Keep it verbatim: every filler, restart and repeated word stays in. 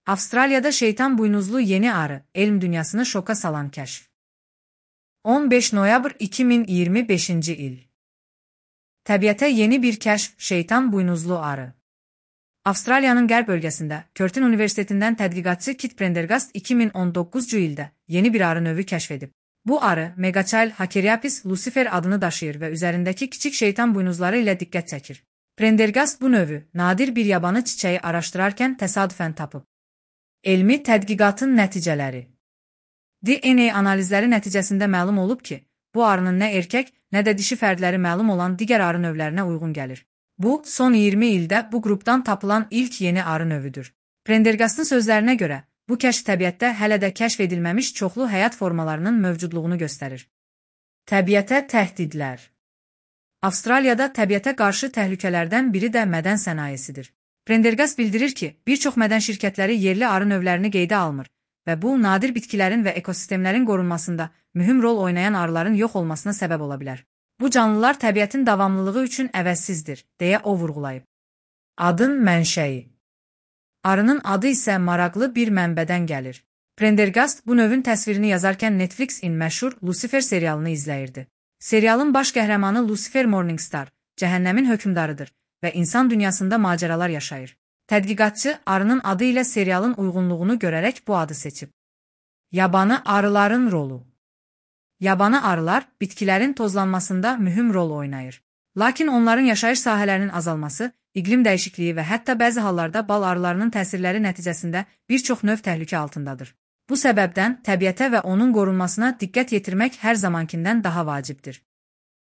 Avustraliyada şeytan buynuzlu yeni arı, elm dünyasını şoka salan kəşf. on beş noyabr iki min iyirmi beşinci il. Təbiətə yeni bir kəşf, şeytan buynuzlu arı. Avstraliyanın qərb bölgəsində Curtin Universitetindən tədqiqatçı Kit Prendergast iki min on doqquzuncu ildə yeni bir arı növü kəşf edib. Bu arı Megachiel hakeriapis lucifer adını daşıyır və üzərindəki kiçik şeytan buynuzları ilə diqqət çəkir. Prendergast bu növü nadir bir yabanı çiçəyi araşdırarkən təsadüfən tapıb. Elmi tədqiqatın nəticələri. D N A analizləri nəticəsində məlum olub ki, bu arının nə erkək, nə də dişi fərdləri məlum olan digər arı növlərinə uyğun gəlir. Bu, son iyirmi ildə bu qrupdan tapılan ilk yeni arı növüdür. Prendergastın sözlərinə görə, bu kəşf təbiətdə hələ də kəşf edilməmiş çoxlu həyat formalarının mövcudluğunu göstərir. Təbiətə təhdidlər. Avstraliyada təbiətə qarşı təhlükələrdən biri də mədən sənayesidir. Prendergast bildirir ki, bir çox mədən şirkətləri yerli arı növlərini qeydə almır və bu, nadir bitkilərin və ekosistemlərin qorunmasında mühüm rol oynayan arıların yox olmasına səbəb ola bilər. Bu canlılar təbiətin davamlılığı üçün əvəzsizdir, deyə o vurğulayıb. Adın mənşəyi. Arının adı isə maraqlı bir mənbədən gəlir. Prendergast bu növün təsvirini yazarkən Netflixin məşhur Lucifer serialını izləyirdi. Serialın baş qəhrəmanı Lucifer Morningstar, cəhənnəmin hökmdarıdır və insan dünyasında macəralar yaşayır. Tədqiqatçı arının adı ilə serialın uyğunluğunu görərək bu adı seçib. Yabanı arıların rolu. Yabanı arılar bitkilərin tozlanmasında mühüm rol oynayır. Lakin onların yaşayış sahələrinin azalması, iqlim dəyişikliyi və hətta bəzi hallarda bal arılarının təsirləri nəticəsində bir çox növ təhlükə altındadır. Bu səbəbdən təbiətə və onun qorunmasına diqqət yetirmək hər zamankindən daha vacibdir.